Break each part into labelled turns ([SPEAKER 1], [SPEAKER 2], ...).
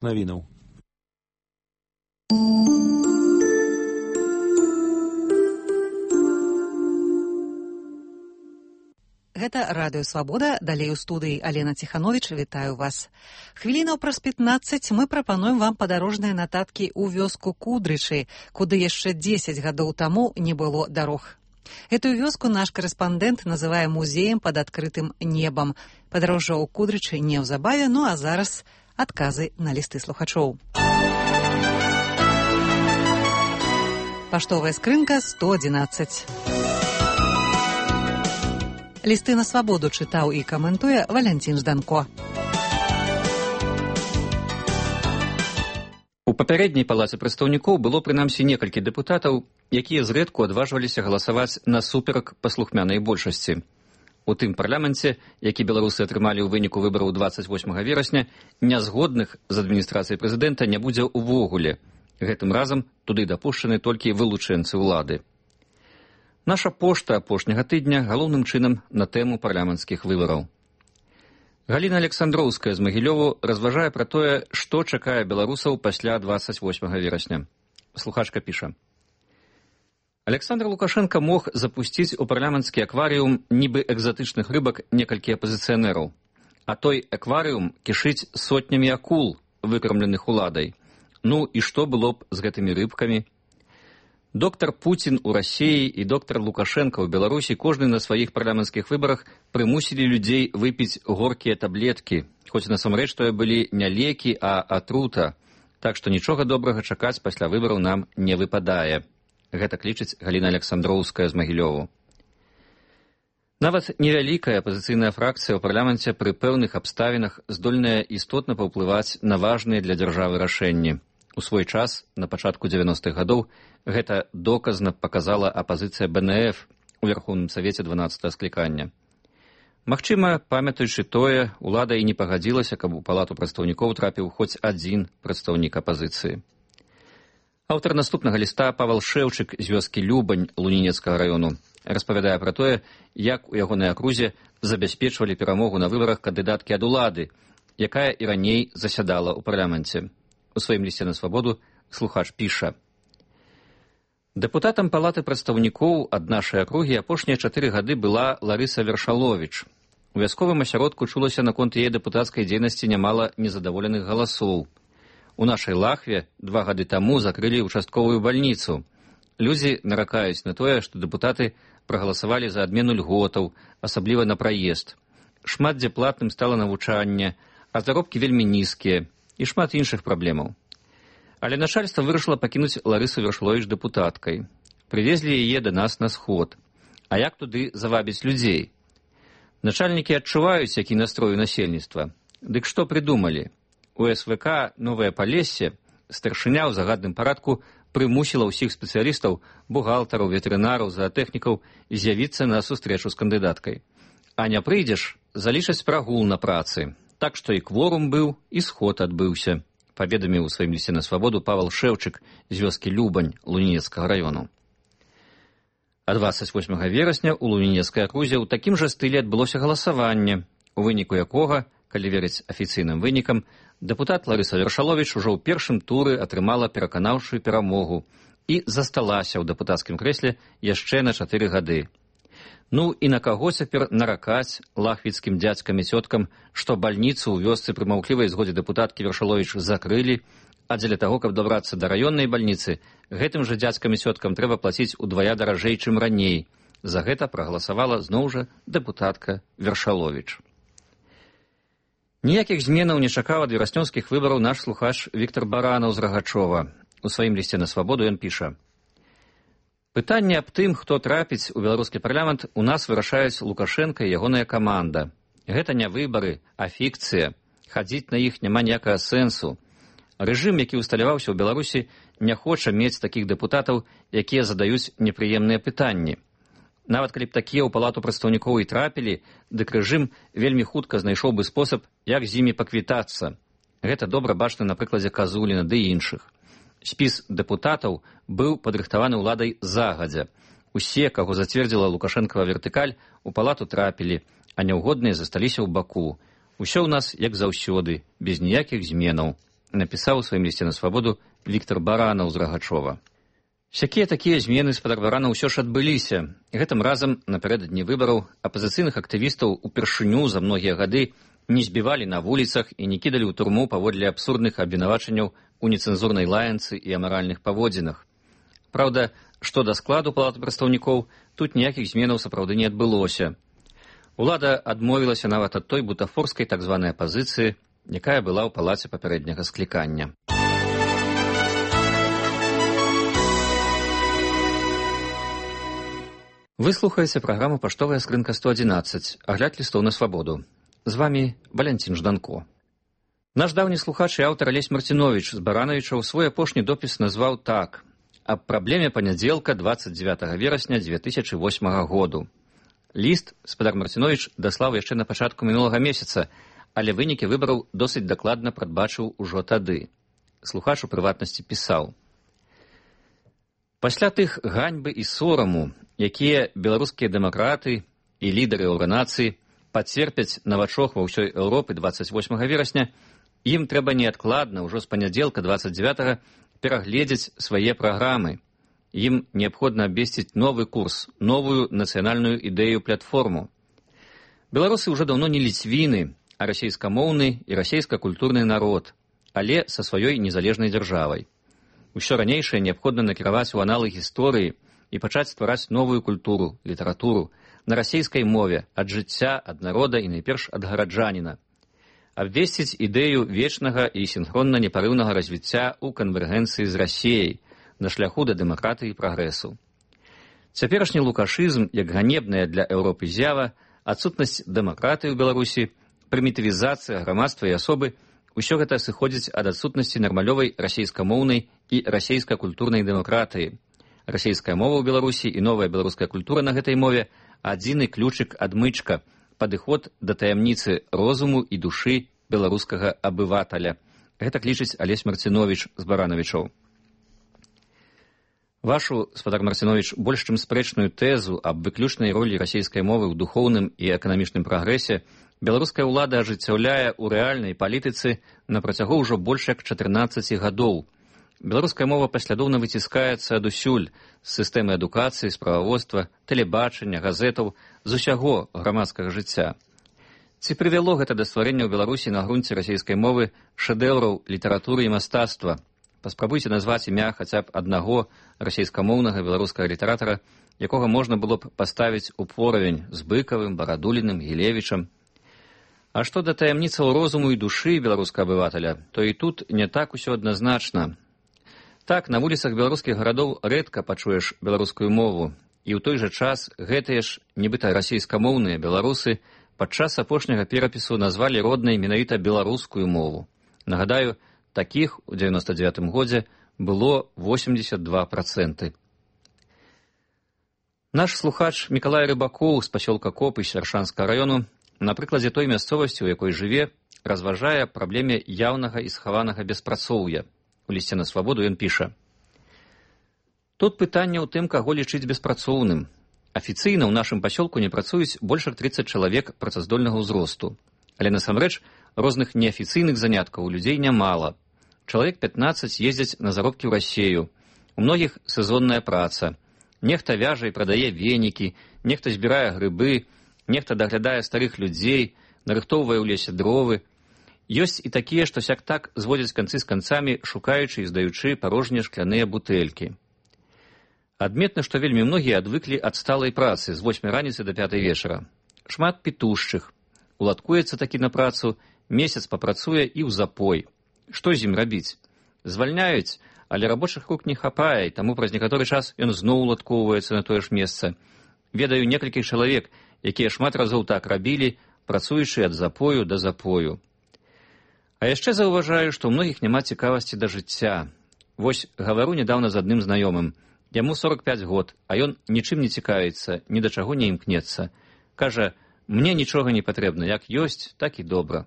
[SPEAKER 1] навінаў.
[SPEAKER 2] Гэта Радыё Свабода, далей у студыі Алена Ціхановіч, вітаю вас. Хвілінаў праз 15 мы прапануем вам падарожныя нататкі ў вёску Кудрычы, куды яшчэ 10 гадоў таму не было дарог. Этую вёску наш корэспандэнт называе музеем пад адкрытым небам. Падарожжа ў Кудрычы неўзабаве, ну а зараз адказы на лісты слухачоў. Паштовая скрынка 111. Лісты на свабоду чытаў і каментуе Валянцін Жданко.
[SPEAKER 3] У папярэдняй палаце прадстаўнікоў было прынамсі некалькі дэпутатаў, якія зрэдку адважваліся галасаваць насуперак паслухмянай большасці. У тым парламенце, які беларусы атрымалі ў выніку выбараў 28 верасня, нязгодных з адміністрацыяй прэзідэнта не будзе ўвогуле. Гэтым разам туды дапушчаны толькі вылучэнцы ўлады. Наша пошта апошняга тыдня галоўным чынам на тэму парламенцкіх выбараў. Галіна Александроўская з Магілёву разважае пра тое, што чакае беларусаў пасля 28 верасня. Слухачка піша. Александр Лукашенко мог запусціць у парламенцкі акварыум нібы экзатычных рыбак некалькі апазіцыянераў, а той акварыум кішыць сотнямі акул, выкармленых уладай. Ну і што было б з гэтымі рыбкамі? Доктор Путін у Расіі і доктор Лукашенко ў Беларусі кожны на сваіх парламенцкіх выбарах прымусілі людзей выпіць горкія таблеткі, хоць насамрэч тое былі не лекі, а атрута, так што нічога добрага чакаць пасля выбараў нам не выпадае. Гэта лічыць Галіна Александроўская з Магілёву. Нават невялікая апазіцыйная фракцыя ў парламенце пры пэўных абставінах здольная істотна паўплываць на важныя для дзяржавы рашэнні. У свой час, на пачатку 90-х гадоў, гэта доказна паказала апазіцыя БНФ у Верхоўным Савеце 12-го склікання. Магчыма, памятаючы тое, улада і не пагадзілася, каб у палату прадстаўнікоў трапіў хоць адзін прадстаўнік апазіцыі. Аўтар наступнага ліста Павел Шэўчык з вёскі Любань Лунінецкага раёну распавядае пра тое, як у ягонай акрузе забяспечвалі перамогу на выбарах кандыдаткі ад улады, якая і раней засядала ў парламенце. У сваім лісце на свабоду слухач піша. Дэпутатам палаты прадстаўнікоў ад нашай акругі апошнія 4 гады была Ларыса Вершаловіч. У вясковым асяродку чулася наконт яе дэпутацкай дзейнасці нямала незадаволеных галасоў. У нашай Лахве 2 гады таму закрылі участковую бальніцу. Людзі наракаюць на тое, што дэпутаты прагаласавалі за адмену льготаў, асабліва на праезд. Шмат дзе платным стала навучанне, а заробкі вельмі нізкія і шмат іншых праблемаў. Але начальства вырашыла пакінуць Ларысу Вершаловіч дэпутаткай. Прывезлі яе да нас на сход. А як туды завабіць людзей? Начальнікі адчуваюць, які настрой у насельніцтва. Дык што прыдумалі? У СВК «Новае Палессе» старшыня ў загадным парадку прымусіла ўсіх спецыялістаў, бухгалтараў, ветэрынараў, заатэхнікаў з'явіцца на сустрэчу з кандыдаткай. А не прыйдзеш, залічаць прагул на працы. Так што і кворум быў, і сход адбыўся, паведаміў у сваім лісце на свабоду Павел Шэўчык з вёскі Любань Лунінецкага раёну. А 28 верасня ў Лунінецкай акрузе ў такім жа стылі адбылося галасаванне, у выніку якога, калі верыць афіцыйным вынікам, дэпутат Ларыса Вершаловіч ужо ў першым туры атрымала пераканаўчую перамогу і засталася ў дэпутацкім крэсле яшчэ на 4 гады. Ну і на каго цяпер наракаць лахвіцкім дзядзькам і цёткам, што бальніцу ў вёсцы пры маўклівай згодзе дэпутаткі Вершаловіч закрылі, а дзеля таго, каб добрацца да раённай бальніцы, гэтым жа дзядзькам і цёткам трэба плаціць удвая даражэй, чым раней. За гэта прагаласавала зноў жа дэпутатка Вершаловіч. Ніякіх зменаў не чакаў ад вераснёўскіх выбараў наш слухач Віктор Баранаў з Рагачова. У сваім лісце на свабоду ён піша. Пытанне аб тым, хто трапіць у беларускі парламент, у нас вырашаюць Лукашенко і ягоная каманда. Гэта не выбары, а фікцыя. Хадзіць на іх няма ніякага сэнсу. Рэжым, які усталяваўся ў Беларусі, не хоча мець такіх дэпутатаў, якія задаюць непрыемныя пытанні. Нават калі б такія ў палату прадстаўнікоў і трапілі, дык рэжым вельмі хутка знайшоў бы спосаб, як з імі паквітацца. Гэта добра бачна на прыкладзе Казуліна ды іншых. Спіс дэпутатаў быў падрыхтаваны ўладай загадзя. Усе, каго зацвердзіла Лукашэнкава вертыкаль, у палату трапілі, а няўгодныя засталіся ў баку. Усё ў нас, як заўсёды, без ніякіх зменаў. напісаў у сваім лісце на свабоду Віктор Баранаў з Рагачова. Всякія такія змены спадар Баранаў усё ж адбыліся. Гэтым разам напярэдадні выбараў апазіцыйных актывістаў упершыню за многія гады не збівалі на вуліцах і не кідалі ў турму паводле абсурдных абвінавачанняў у нецэнзурнай лаянцы і амаральных паводзінах. Праўда, што да складу палаты прадстаўнікоў, тут ніякіх зменаў сапраўды не адбылося. Улада адмовілася нават ад той бутафорскай так званай апазіцыі, якая была ў палаце папярэдняга склікання. Вы слухаеце праграму «Паштовая скрынка 111», агляд лістоў на свабоду. З вами Валянцін Жданко. Наш даўні слухач і аўтар Алесь Марціновіч з Баранавічаў свой апошні допіс назваў так: «Аб праблеме панядзелка 29 верасня 2008 году». Ліст спадар Марціновіч даслаў яшчэ на пачатку мінулага месяца, але вынікі выбараў досыць дакладна прадбачыў ужо тады. Слухач у прыватнасці пісаў: «Пасля тых ганьбы і сораму, якія беларускія дэмакраты і лідары органацыі пацерпяць на вачох ва ўсёй Еўропы 28 верасня, ім трэба неадкладна ўжо з панядзелка 29 перагледзець свае праграмы. Ім неабходна абвесціць новы курс, новую нацыянальную ідэю-платформу. Беларусы ўжо даўно не ліцвіны, а расейскамоўны і расейска-культурны народ, але са сваёй незалежнай дзяржавай. Усё ранейшае неабходна накіраваць у аналы гісторыі і пачаць ствараць новую культуру, літаратуру, на расейскай мове, ад жыцця, ад народа і найперш ад гараджаніна. Абвесціць ідэю вечнага і сінхронна непарыўнага развіцця ў канвергенцыі з Расіяй на шляху да дэмакратыі і прагрэсу. Цяперашні лукашызм, як ганебная для Еўропы з'ява, адсутнасць дэмакратыі ў Беларусі, прымітывізацыя грамадства і асобы, усё гэта сыходзіць ад адсутнасці нармалёвай расейскамоўнай і расейска-культурнай дэмакратыі. Расейская мова ў Беларусі і новая беларуская культура на гэтай мове адзіны ключык-адмычка, падыход да таямніцы розуму і душы беларускага абываталя. Гэта лічыць Алесь Марціновіч з Баранавічаў. Вашу, спадар Марціновіч, больш чым спрэчную тэзу аб выключнай ролі расейскай мовы ў духоўным і эканамічным прагрэсе беларуская ўлада ажыццяўляе ў рэальнай палітыцы на працягу ўжо больш як 14 гадоў. Беларуская мова паслядоўна выціскаецца адусюль з сістэмы адукацыі, справаводства, тэлебачання, газетаў, з усяго грамадскага жыцця. Ці прывяло гэта да стварення ў Беларусі на грунце расейскай мовы шэдэўраў літаратуры і мастацтва? Паспрабуйце назваць імя хаця б аднаго расейскамоўнага беларускага літаратара, якога можна было б паставіць у поравень з Быкавым, Барадуліным, Гілевічам. А што да таямніцаў розуму і душы беларускага абываталя, то і тут не так усё адназначна. Так, на вуліцах беларускіх гарадоў рэдка пачуеш беларускую мову, і ў той жа час гэтыя ж, нібыта расейскамоўныя беларусы падчас апошняга перапісу назвалі роднай менавіта беларускую мову. Нагадаю, такіх у 99 годзе было 82%. Наш слухач Мікалай Рыбакоў з пасёлка Копысь Аршанскага раёну на прыкладзе той мясцовасці, у якой жыве, разважае праблеме яўнага і схаванага беспрацоўя. У лісце на свабоду ён піша: «Тут пытанне ў тым, каго лічыць беспрацоўным. Афіцыйна ў нашым пасёлку не працуюць больш як 30 чалавек працаздольнага ўзросту. Але насамрэч розных неафіцыйных заняткаў у людзей нямала. Чалавек 15 ездзяць на заробкі ў Расею. У многіх сезонная праца. Нехта вяжа і прадае венікі, нехта збірае грыбы, нехта даглядае старых людзей, нарыхтоўвае ў лесе дровы. Ёсць і такія, што сяк-так зводзяць канцы з канцамі, шукаючы і здаючы парожнія шкляныя бутэлькі. Адметна, што вельмі многія адвыклі ад сталай працы з 8 раніцы да 5 вечара. Шмат пітушчых. Уладкуецца такі на працу, месяц папрацуе і ў запой. Што з ім рабіць? Звальняюць, але рабочых рук не хапае, і таму праз некаторы час ён зноў уладкоўваецца на тое ж месца. Ведаю некалькіх чалавек, якія шмат разоў так рабілі, працуючы ад запою да запою. А яшчэ заўважаю, што ў многіх няма цікавасці да жыцця. Вось гавару нядаўна з адным знаёмым. Яму 45 год, а ён нічым не цікавіцца, ні да чаго не імкнецца. Кажа, мне нічога не патрэбна, як ёсць, так і добра.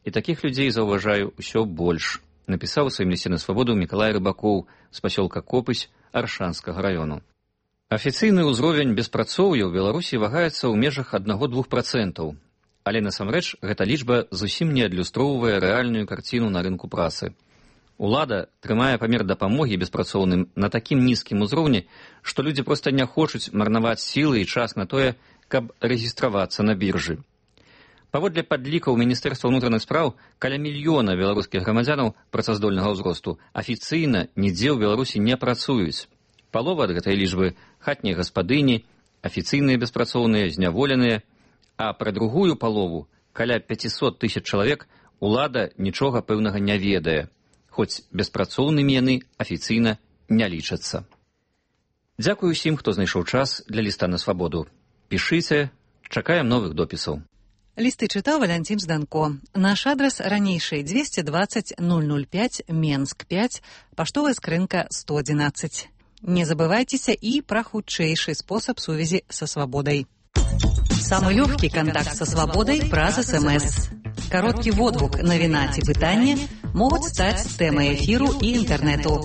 [SPEAKER 3] І такіх людзей заўважаю ўсё больш. Напісаў у сваім лісце на свабоду Мікалай Рыбакоў з пасёлка Копысь Аршанскага раёну. Афіцыйны ўзровень беспрацоўя ў Беларусі вагаецца ў межах 1–2%. Але насамрэч гэта лічба зусім не адлюстроўвае рэальную карціну на рынку працы. Улада трымае памер дапамогі беспрацоўным на такім нізкім узроўні, што людзі проста не хочуць марнаваць сілы і час на тое, каб рэгістравацца на біржы. Паводле падлікаў Міністэрства ўнутраных спраў, каля мільёна беларускіх грамадзянаў працаздольнага ўзросту афіцыйна нідзе ў Беларусі не працуюць. Палова ад гэтай лічбы хатнія гаспадыні, афіцыйныя беспрацоўныя, зняволеныя, а пра другую палову, каля 500 000 чалавек, улада нічога пэўнага не ведае, хоць беспрацоўнымі яны афіцыйна не лічацца. Дзякую усім, хто знайшоў час для ліста на свабоду. Пішыце, чакаем новых допісаў.
[SPEAKER 2] Лісты чытаў Валянцін Жданко. Наш адрас ранейшы 220 005 Менск 5, паштовая скрынка 111. Не забывайцеся і пра хутчэйшы спосаб сувязі са свабодай. Самы лёгкі кантакт са свабодай праз СМС. Кароткі водгук, навіна ці пытанне могуць стаць тэмай эфіру і інтэрнэту.